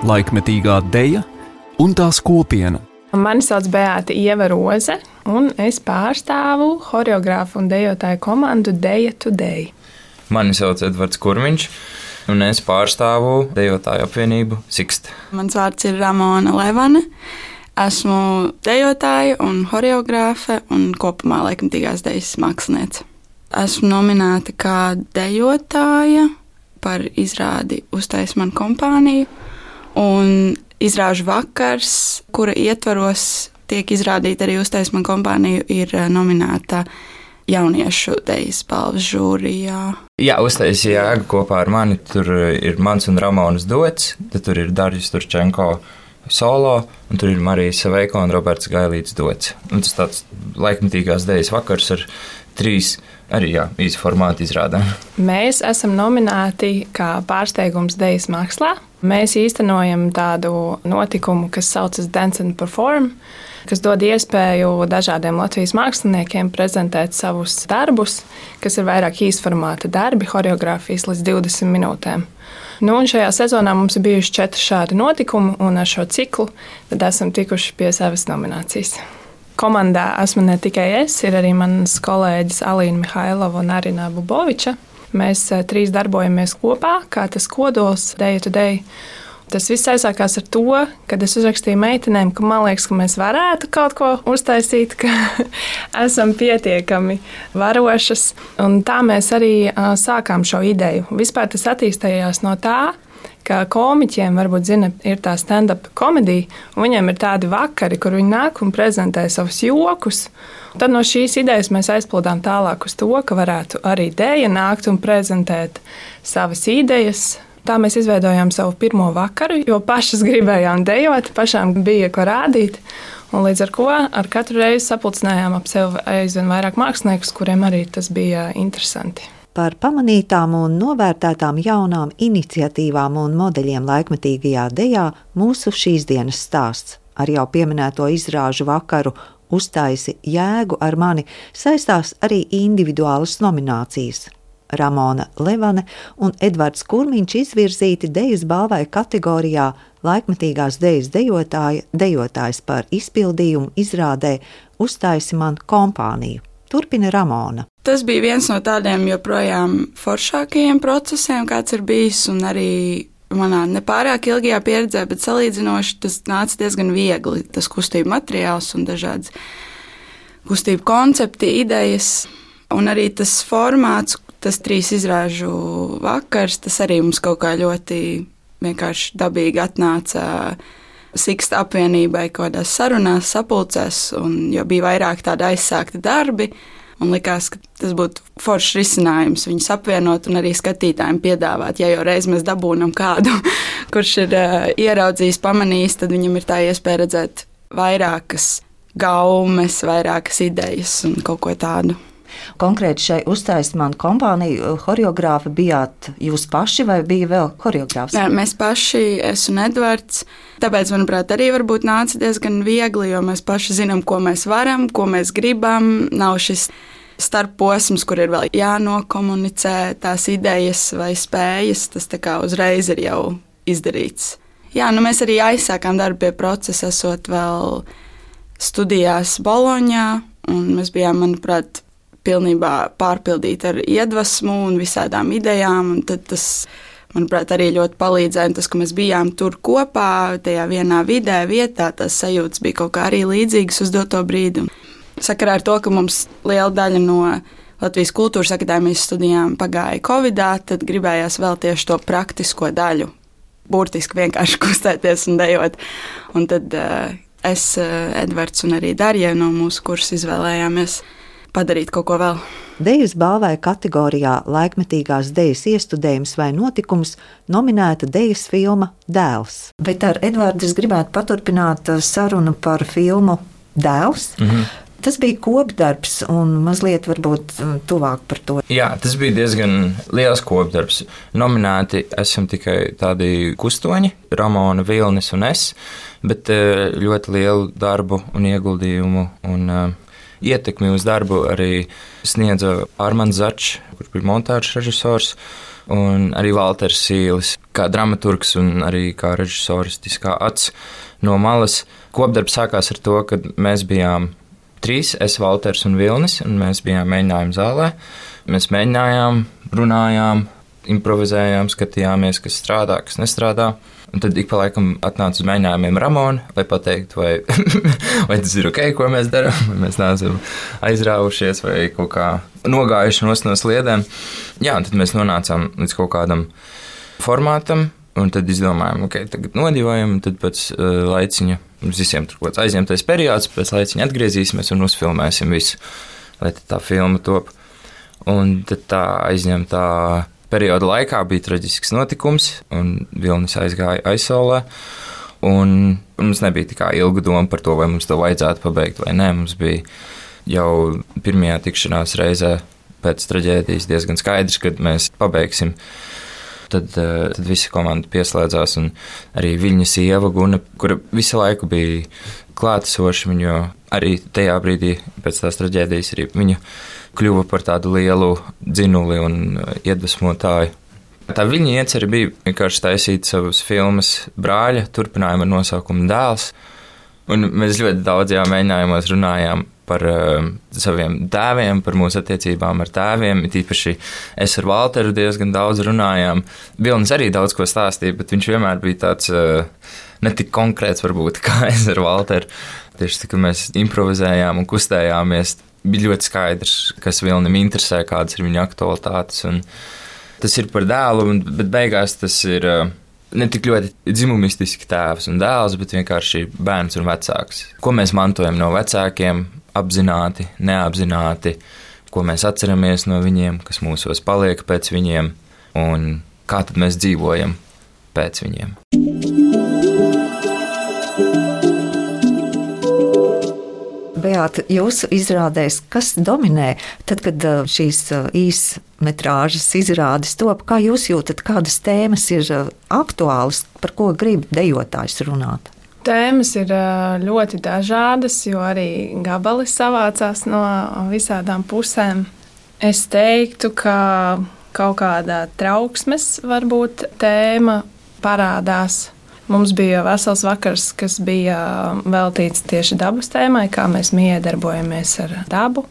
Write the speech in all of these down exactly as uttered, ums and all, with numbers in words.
laikmetīgā deja un tās kopiena. Mani sauc Beāta Ieva Roze, un es pārstāvu horeogrāfu un dejotāju komandu Deja Today. Mani sauc Edvards Kurmiņš, un es pārstāvu dejotāju apvienību Sikst. Mans vārds ir Ramona Levane. Esmu dejotāja un horeogrāfe un kopumā laikmetīgās dejas māksliniece. Esmu nominēta kā dejotāja par izrādi Uztais man kompāniju, un izrāžu vakars, kura ietvaros tiek izrādīta arī Uztais man kompāniju, ir nominēta jauniešu dejas balvas žūrijā. Jā, Uztais jēga kopā ar mani, tur ir mans un Ramonas duets, tad tur ir Darjus Turčenko solo, un tur ir Marija Saveiko un Roberts Gailīts duets. Un tas tāds laikmetīgās dejas vakars ar trīs arī jā, īsi formāti izrādēm. Mēs esam nominēti kā pārsteigums dejas mākslā. Mēs īstenojam tādu notikumu, kas saucas Dance and Perform, kas dod iespēju dažādiem Latvijas māksliniekiem prezentēt savus darbus, kas ir vairāk īsformāta darbi, horeogrāfijas līdz divdesmit minūtēm. Nu, un šajā sezonā mums ir bijuši četri šādi notikumi, un ar šo ciklu tad esam tikuši pie savas nominācijas. Komandā esmu ne tikai es, ir arī manas kolēģis Alīna Mihailova un Arina Buboviča. Mēs trīs darbojamies kopā, kā tas kodols Deja Today. Tas viss aizsākās ar to, kad es uzrakstīju meitenēm, ka man liekas, ka mēs varētu kaut ko uztaisīt, ka esam pietiekami varošas. Un tā mēs arī sākām šo ideju. Vispār tas attīstījās no tā, ka komiķiem, varbūt zina, ir tā stand-up komēdija, un viņiem ir tādi vakari, kur viņi nāk un prezentē savus jokus. Un tad no šīs idejas mēs aizpildām tālāk uz to, ka varētu arī deja nākt un prezentēt savas idejas. Tā mēs izveidojām savu pirmo vakaru, jo pašas gribējām dejot, pašām bija ko rādīt. Un līdz ar ko ar katru reizi sapulcinājām ap sevi aizvien vairāk māksliniekus, kuriem arī tas bija interesanti. Par pamanītām un novērtētām jaunām iniciatīvām un modeļiem laikmetīgajā dejā mūsu šīs dienas stāsts. Ar jau pieminēto izrāžu vakaru Uztaisi jēgu ar mani saistās arī individuālas nominācijas. Ramona Levane un Edvards Kurmiņš izvirzīti dejas balvai kategorijā laikmetīgās dejas dejotāja, dejotājs par izpildījumu izrādē Uztaisi man kompāniju. Turpina Ramona. Tas bija viens no tādiem joprojām foršākajiem procesiem, kāds ir bijis, un arī manā nepārāk ilgajā pieredzē, bet salīdzinoši tas nāca diezgan viegli. Tas kustību materiāls un dažādas kustību koncepti, idejas, un arī tas formāts, tas trīs izrāžu vakars, tas arī mums kaut kā ļoti vienkārši dabīgi atnāca Siksta apvienībai kaut kādās sarunās, sapulcēs, un jo bija vairāk tādi aizsākti darbi, un likās, ka tas būtu foršs risinājums viņus apvienot un arī skatītājiem piedāvāt. Ja jau reiz mēs dabūnam kādu, kurš ir uh, ieraudzījis, pamanījis, tad viņam ir tā iespēja redzēt vairākas gaumes, vairākas idejas un kaut ko tādu. Konkrēti šai Uztaisi man kompāniju horeogrāfi bijāt jūs paši vai bija vēl horeogrāfs? Nē, mēs paši, es un Edvards. Tāpēc, manuprāt, arī varbūt nāca diezgan viegli, jo mēs paši zinām, ko mēs varam, ko mēs gribam. Nav šis starpposms, kur ir vēl jānokomunicē tās idejas vai spējas. Tas tā kā uzreiz ir jau izdarīts. Jā, nu mēs arī aizsākām darbu pie procesa, esot vēl studijās Boloņā, un mēs bijām, manuprāt, pilnībā pārpildīti ar iedvesmu un visādām idejām, un tad tas, manuprāt, arī ļoti palīdzēja, tas, ka mēs bijām tur kopā, tajā vienā vidē, vietā, tās sajūtas bija kaut kā arī līdzīgas uz doto brīdi. Sakarā ar to, ka mums liela daļa no Latvijas kultūras akadēmijas studijām pagāja Covidā, tad gribējās vēl tieši to praktisko daļu, burtiski vienkārši kustēties un dejot. Un tad uh, es, uh, Edvards un arī Darja no mūsu kursa izvēlējāmies padarīt kaut ko vēl. Dejas balvai kategorijā laikmetīgās dejas iestudējums vai notikums nominēta dejas filma Dēls. Bet ar Edvardu es gribētu paturpināt sarunu par filmu Dēls. Mhm. Tas bija kopdarbs un mazliet varbūt tuvāk par to. Jā, tas bija diezgan liels kopdarbs. Nominēti esam tikai tādi kustoņi, Ramona, Vilnis un es, bet ļoti lielu darbu un ieguldījumu un ietekmi uz darbu arī sniedza Armands Začs, kurš bija montāžas režisors, un arī Valters Sīlis. kā dramaturgs un arī kā režisoristiskā acs no malas. Kopdarbs sākās ar to, ka mēs bijām trīs, es, Valters un Vilnis, un mēs bijām mēģinājuma zālē. Mēs mēģinājām, runājām, improvizējām, skatījāmies, kas strādā, kas nestrādā. Un tad ik pa laikam atnāca uz mēģinājumiem Ramona, lai pateiktu, vai, vai tas ir ok, ko mēs darām, vai mēs neesam aizrāvušies vai kaut kā nogājuši no sliedēm. Jā, un tad mēs nonācām līdz kaut kādam formātam, un tad izdomājām, ok, tagad nodivojam, un tad pēc uh, laiciņa mums visiem tur kaut kāds aizņemtais periods, pēc laiciņa atgriezīsimies un uzfilmēsim visu, lai tā filma top. Un tad tā aizņemtā perioda laikā bija traģisks notikums, un Vilnis aizgāja aizsaulē. Un mums nebija tā kā ilga doma par to, vai mums to vajadzētu pabeigt vai nē. Mums bija jau pirmajā tikšanās reizē pēc traģēdijas diezgan skaidrs, kad mēs pabeigsim. Tad, tad visa komanda pieslēdzās, un arī viņa sieva Guna, kura visu laiku bija klātesoša, viņu arī tajā brīdī pēc tās traģēdijas arī viņa kļuva par tādu lielu dzinuli un iedvesmotāju. Tā viņa iecerē bija vienkārši taisīt savas filmas brāļa turpinājumu ar nosaukumu Dēls, un mēs ļoti daudzajā mēģinājumos runājām par uh, saviem tēviem, par mūsu attiecībām ar tēviem. Tīpaši es ar Valteru diezgan daudz runājām. Vilnis arī daudz ko stāstīja, bet viņš vienmēr bija tāds uh, netik konkrēts varbūt kā es ar Valteru. Tieši tā, ka mēs improvizējām un kustējāmies, bija ļoti skaidrs, kas Vilnim interesē, kādas ir viņa aktualitātes. Un tas ir par dēlu, bet beigās tas ir uh, ne tik ļoti dzimumistiski tēvs un dēls, bet vienkārši bērns un vecāks. Ko mēs mantojam no vecākiem, apzināti, neapzināti, ko mēs atceramies no viņiem, kas mūsos paliek pēc viņiem un kā tad mēs dzīvojam pēc viņiem. Beāta, jūsu izrādēs, kas dominē tad, kad šīs īsmetrāžas izrādes top, kā jūs jūtat, kādas tēmas ir aktuālas, par ko grib dejotājs runāt? Tēmas ir ļoti dažādas, jo arī gabali savācās no visādām pusēm. Es teiktu, ka kaut kādā trauksmes varbūt tēma parādās. Mums bija vesels vakars, kas bija veltīts tieši dabas tēmai, kā mēs miedarbojamies ar dabu.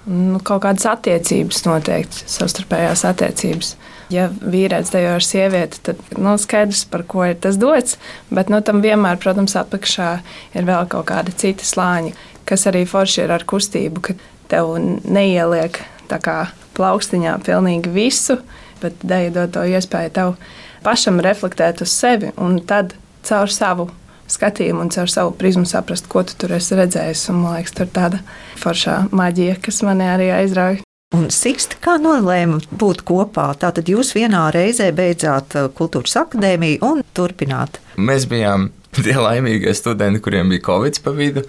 Nu, kaut kādas attiecības noteikti, savstarpējās attiecības. Ja vīrietis dejo ar sievieti, tad nu, skaidrs, par ko ir tas dots, bet nu, tam vienmēr, protams, apakšā ir vēl kaut kādi citi slāņi, kas arī forši ir ar kustību, ka tev neieliek tā kā plaukstiņā pilnīgi visu, bet deja dod to iespēju tev pašam reflektēt uz sevi un tad caur savu skatījumu un caur savu prizmu saprast, ko tu tur esi redzējis. Un, man liekas, tur tāda foršā maģija, kas mani arī aizrauja. Un Siksti, kā nolēma būt kopā? Tātad jūs vienā reizē beidzāt Kultūras akadēmiju un turpināt? Mēs bijām tie laimīgie studenti, kuriem bija Covid pa vidu.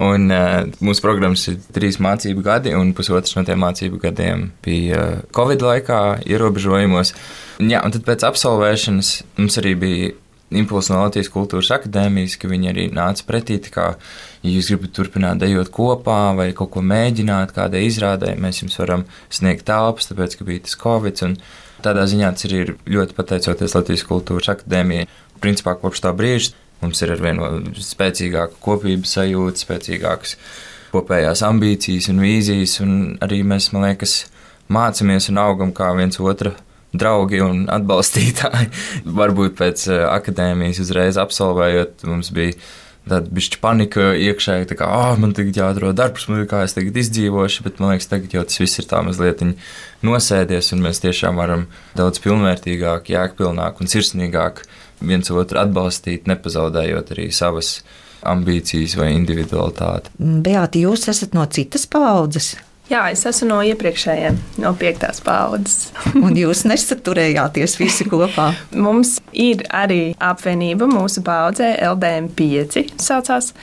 Un, uh, mūsu programmas ir trīs mācību gadi, un pusotrs no tiem mācību gadiem bija Covid laikā ierobežojumos. Un, jā, un tad pēc absolvēšanas mums arī bija impulss no Latvijas Kultūras akadēmijas, ka viņi arī nāca pretī, kā, ja jūs gribat turpināt dejot kopā vai kaut ko mēģināt, kādai izrādē, mēs jums varam sniegt telpas, tāpēc, ka bija tas Covid. Un tādā ziņā tas arī ir ļoti pateicoties Latvijas Kultūras akadēmijai. Principā kopš tā brīža mums ir arvien spēcīgāka kopības sajūta, spēcīgākas kopējās ambīcijas un vīzijas, un arī mēs, man liekas, mācamies un augam kā viens otra draugi un atbalstītāji. Varbūt pēc akadēmijas uzreiz absolvējot, mums bija tāda bišķi panika iekšēji, tā kā, ah, man tagad jāatrod darbs, kā es tagad izdzīvošu, bet man liekas, tagad jau tas viss ir tā mazliet nosēdies, un mēs tiešām varam daudz pilnvērtīgāk, jēgpilnāk un sirsnīgāk viens otru atbalstīt, nepazaudējot arī savas ambīcijas vai individualitāti. Beāta, jūs esat no citas paaudzes? Jā, es esmu no iepriekšējiem, no piektās paaudzes. Un jūs nesaturējāties visi kopā? Mums ir arī apvienība mūsu paaudzē, L D M pieci saucās,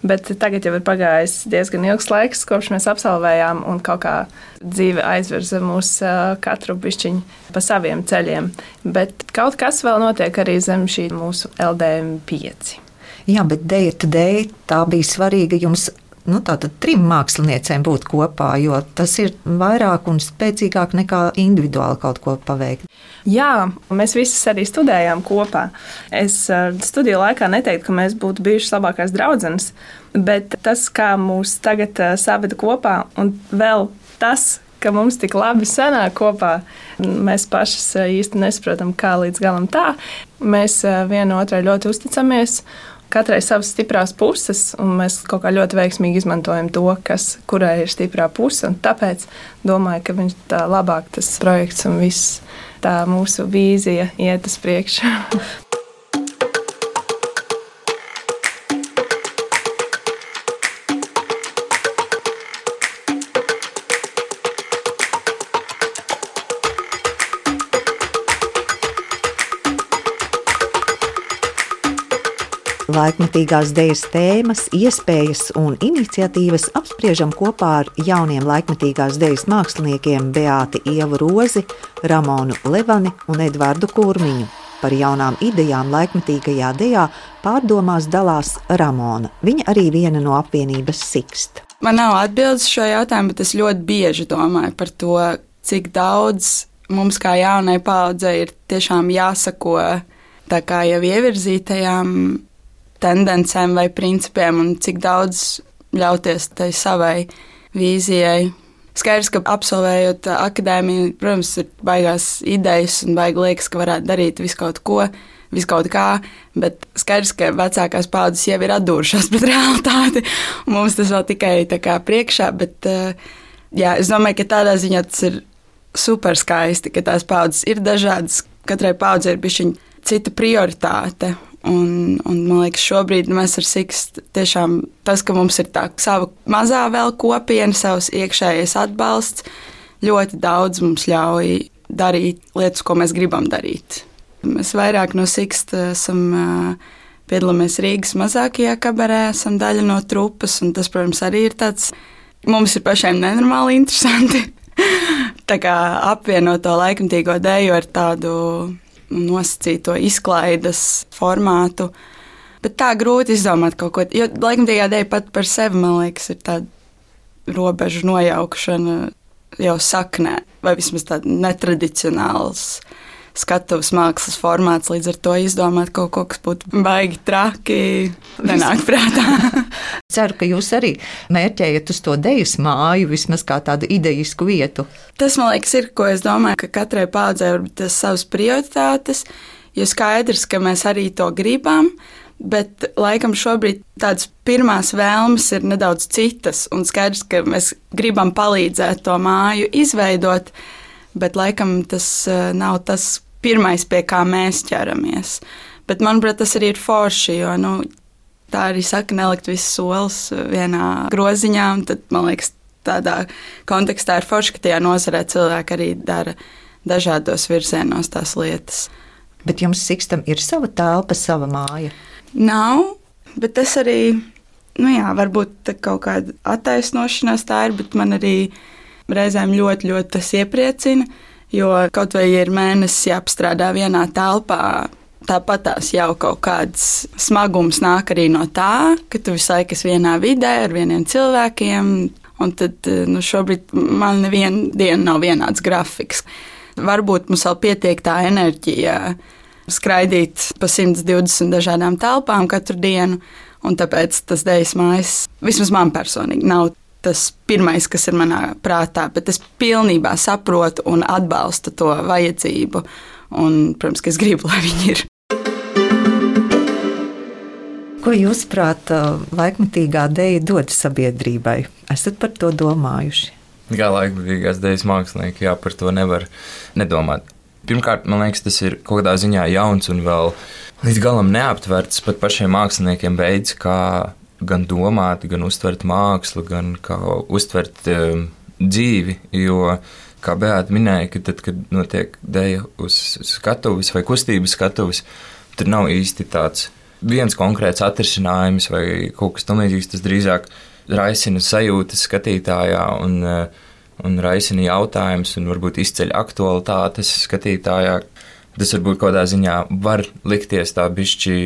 bet tagad jau ir pagājis diezgan ilgs laiks, kopš mēs absolvējām, un kaut kā dzīve aizvirza mūs katru bišķiņu pa saviem ceļiem. Bet kaut kas vēl notiek arī zem šī mūsu L D M pieci. Jā, bet Deja Today, tā bija svarīga jums nu, tātad trim māksliniecēm būt kopā, jo tas ir vairāk un spēcīgāk nekā individuāli kaut ko paveikt. Jā, mēs visas arī studējām kopā. Es studiju laikā neteiktu, ka mēs būtu bijušas labākās draudzenes, bet tas, kā mūs tagad saveda kopā, un vēl tas, ka mums tik labi sanāk kopā, mēs pašas īsti nesaprotam, kā līdz galam tā. Mēs viena otrai ļoti uzticamies, katrai savas stiprās puses, un mēs kaut kā ļoti veiksmīgi izmantojam to, kas, kurai ir stiprā puse, un tāpēc domāju, ka viņš tā labāk tas projekts un viss tā mūsu vīzija iet uz priekšu. Laikmetīgās dejas tēmas, iespējas un iniciatīvas apspriežam kopā ar jauniem laikmetīgās dejas māksliniekiem Beāti Ievu Rozi, Ramonu Levani un Edvardu Kurmiņu. Par jaunām idejām laikmetīgajā dejā pārdomās dalās Ramona. Viņa arī viena no apvienības Sikst. Man nav atbildes šo jautājumu, bet es ļoti bieži domāju par to, cik daudz mums kā jaunai paaudzei ir tiešām jāsako tā kā jau ievirzītajām tendencēm vai principiem un cik daudz ļauties tai savai vīzijai. Skaidrs, ka absolvējot akadēmiju, protams, ir baigās idejas un baigi liekas, ka varētu darīt visu kaut ko, visu kaut kā, bet skaidrs, ka vecākās paudzes jau ir atdūrušās pret realitāti, un mums tas vēl tikai tā kā priekšā, bet jā, es domāju, ka tādā ziņā tas ir super skaisti, ka tās paudzes ir dažādas, katrai paudzei ir bišķiņ cita prioritāte. Un, un man liekas, šobrīd mēs ar Sikst tiešām tas, ka mums ir tā sava mazā vēl kopiena, savs iekšējais atbalsts, ļoti daudz mums ļauj darīt lietas, ko mēs gribam darīt. Mēs vairāk no Sikst esam piedalāmies Rīgas mazākajā kabarē, esam daļa no trupas, un tas, protams, arī ir tāds, mums ir pašiem nenormāli interesanti. Tā kā apvienot to laikmetīgo deju ar tādu nosacīto izklaides formātu, bet tā grūti izdomāt kaut ko, jo laikmetīgā deja pat par sevi, man liekas, ir tāda robežu nojaukšana jau saknē, vai vismaz tāda netradicionāls skatuves mākslas formāts, līdz ar to izdomāt kaut ko, kas būtu baigi traki, nenāk prātā. Ceru, ka jūs arī mērķējat uz to dejas māju, vismaz kā tādu idejisku vietu. Tas, man liekas, ir, ko es domāju, ka katrai paudzei var būt tas savas prioritātes, jo skaidrs, ka mēs arī to gribam, bet laikam šobrīd tādas pirmās vēlmes ir nedaudz citas, un skaidrs, ka mēs gribam palīdzēt to māju izveidot, bet laikam tas nav tas pirmais, pie kā mēs ķeramies. Bet, manuprāt, tas arī ir forši, jo, nu, tā arī saka, nelikt visas solis vienā groziņā, un tad, man liekas, tādā kontekstā ir forši, ka tajā nozarē cilvēki arī dara dažādos virzienos tās lietas. Bet jums Sikstam ir sava telpa, sava māja? Nav, bet es arī, nu jā, varbūt kaut kāda attaisnošanās tā ir, bet man arī reizēm ļoti, ļoti tas iepriecina, jo kaut vai ir mēnesis jāapstrādā vienā telpā, tāpatās jau kaut kāds smagums nāk arī no tā, ka tu visu laiku esi vienā vidē ar vieniem cilvēkiem, un tad nu, šobrīd man neviena diena nav vienāds grafiks. Varbūt mums vēl pietiek tā enerģija skraidīt pa simt divdesmit dažādām telpām katru dienu, un tāpēc tas dejas mājas, vismaz man personīgi, nav tas pirmais, kas ir manā prātā, bet es pilnībā saprotu un atbalstu to vajadzību, un, protams, ka es gribu, lai viņi ir. Ko jūs prāt laikmetīgā deja dod sabiedrībai? Esat par to domājuši? Kā laikmetīgās dejas mākslinieki, jā, par to nevar nedomāt. Pirmkārt, man liekas, tas ir kaut kādā ziņā jauns un vēl līdz galam neaptverts pat pašiem māksliniekiem veids, kā gan domāt, gan uztvert mākslu, gan kā uztvert um, dzīvi, jo, kā Beāta minēja, ka tad, kad notiek deja uz skatuves vai kustības skatuves, tur nav īsti tāds viens konkrēts atrisinājums vai kaut kas tamlīdzīgs, tas drīzāk raisina sajūtas skatītājā un, un raisina jautājums un varbūt izceļ aktualitātes skatītājā. Tas varbūt kādā ziņā var likties tā bišķi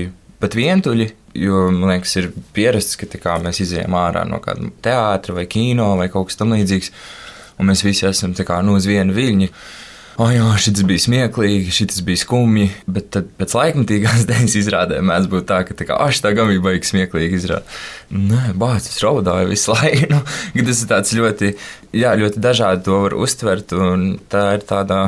pat vientuļi, Jo, man liekas, ir pierasts, ka kā, mēs izejam ārā no kāda teātra vai kino vai kaut kas tam līdzīgs, un mēs visi esam kā, nu, uz vienu viļņu. O, jā, šis bija smieklīgi, šis bija skumji, bet tad pēc laikmatīgās dejas izrādē mēdz būt tā, ka tā kā, tā gan bija baigi smieklīgi izrāda. Nē, bāc, es raudāju visu laiku. Nu, tas ir tāds ļoti, jā, ļoti dažādi to var uztvert, un tā ir tādā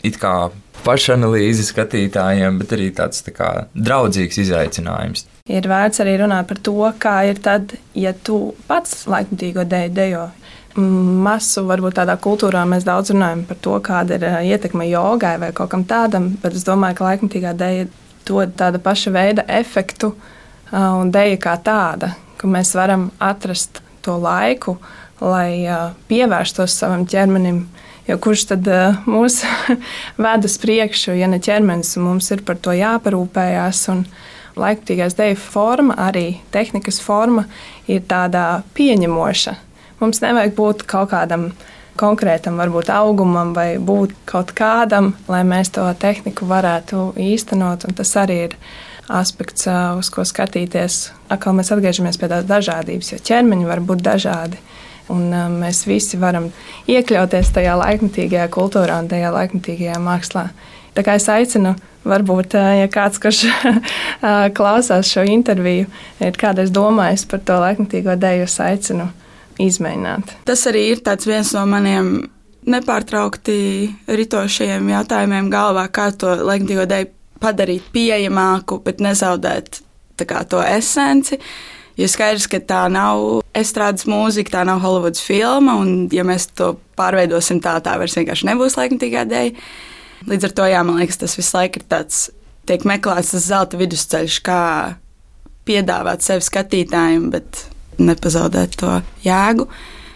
it kā pašanalīze skatītājiem, bet arī tāds tā kā draudzīgs izaicinājums. Ir vērts arī runāt par to, kā ir tad, ja tu pats laikmatīgo deju dejo. Masu, varbūt tādā kultūrā mēs daudz runājam par to, kāda ir ietekme jogai vai kaut kam tādam, bet es domāju, ka laikmatīgā deja dod tāda paša veida efektu un deja kā tāda, ka mēs varam atrast to laiku, lai pievērstos savam ķermenim, jo kurš tad mūs ved uz priekšu, ja ne ķermenis, un mums ir par to jāparūpējās, un laikmatīgās deja forma, arī tehnikas forma, ir tāda pieņemoša. Mums nevajag būt kaut kādam konkrētam, varbūt augumam vai būt kaut kādam, lai mēs to tehniku varētu īstenot. Un tas arī ir aspekts, uz ko skatīties. Atkal mēs atgriežamies pie tās dažādības, jo ķermeņi var būt dažādi. Un mēs visi varam iekļauties tajā laikmatīgajā kultūrā un tajā laikmatīgajā mākslā. Tā kā es aicinu, varbūt, ja kāds, kurš klausās šo interviju, ir kādreiz domājis par to laikmatīgo deju, es aicinu izmēģināt. Tas arī ir tāds viens no maniem nepārtraukti ritošajiem jautājumiem galvā, kā to laikmatīgo deju padarīt pieejamāku, bet nezaudēt tā kā to esenci. Jo skaidrs, ka tā nav estrādes mūzika, tā nav Hollywoods filma, un ja mēs to pārveidosim tā, tā vairs vienkārši nebūs laikmatīgā deja. Līdz ar to, jā, man liekas, tas visu laiku ir tāds, tiek meklēts tas zelta vidusceļš, kā piedāvāt sevi skatītājiem, bet nepazaudēt to jēgu,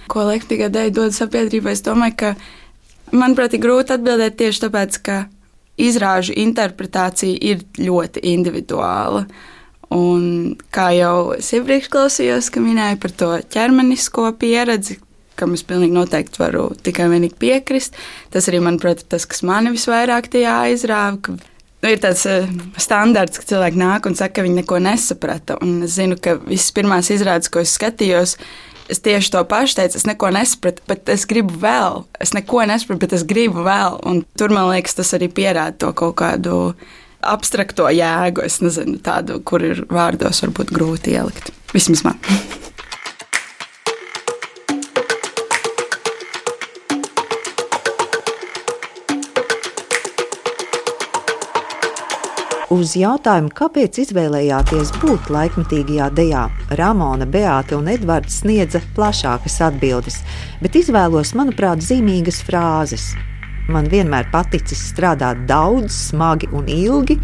ko laikmatīgā deja dod sabiedrībai. Es domāju, ka, manuprāt, ir grūti atbildēt tieši tāpēc, ka izrāžu interpretācija ir ļoti individuāla. Un kā jau es iepriekš klausījos, ka minēju par to ķermenisko pieredzi, kam es pilnīgi noteikti varu tikai vienīgi piekrist, tas arī, manuprāt, ir tas, kas mani visvairāk tajā aizrāva, ka nu, ir tāds uh, standarts, ka cilvēki nāk un saka, ka viņi neko nesaprata. Un es zinu, ka visas pirmās izrādes, ko es skatījos, es tieši to pašu teicu, es neko nesapratu, bet es gribu vēl. Es neko nesapratu, bet es gribu vēl. Un tur, man liekas, tas arī pierāda to kaut kādu abstrakto jēgu. Es nezinu, tādu, kur ir vārdos varbūt grūti ielikt. Vismaz man. Uz jautājumu, kāpēc izvēlējāties būt laikmatīgajā dejā, Ramona, Beāte un Edvards sniedza plašākas atbildes, bet izvēlos, manuprāt, zīmīgas frāzes. Man vienmēr paticis strādāt daudz, smagi un ilgi.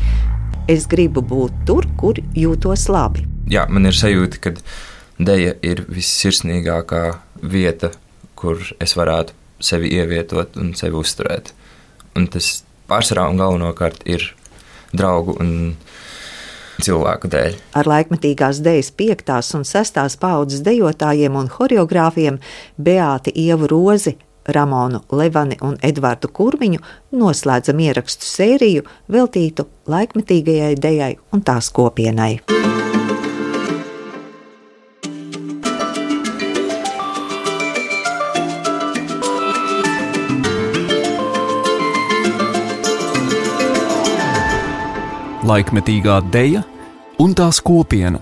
Es gribu būt tur, kur jūtos labi. Jā, man ir sajūta, ka deja ir vissirsnīgākā vieta, kur es varētu sevi ievietot un sevi uzturēt. Un tas pārsvarā un galvenokārt ir draugu un cilvēku dēļ. Ar laikmatīgās dejas piektās un sestās paaudzes dejotājiem un horeogrāfiem Beāti Ievu Rozi, Ramonu Levani un Edvardu Kurmiņu noslēdzam ierakstu sēriju veltītu laikmatīgajai dejai un tās kopienai. Laikmetīgā deja un tās kopiena.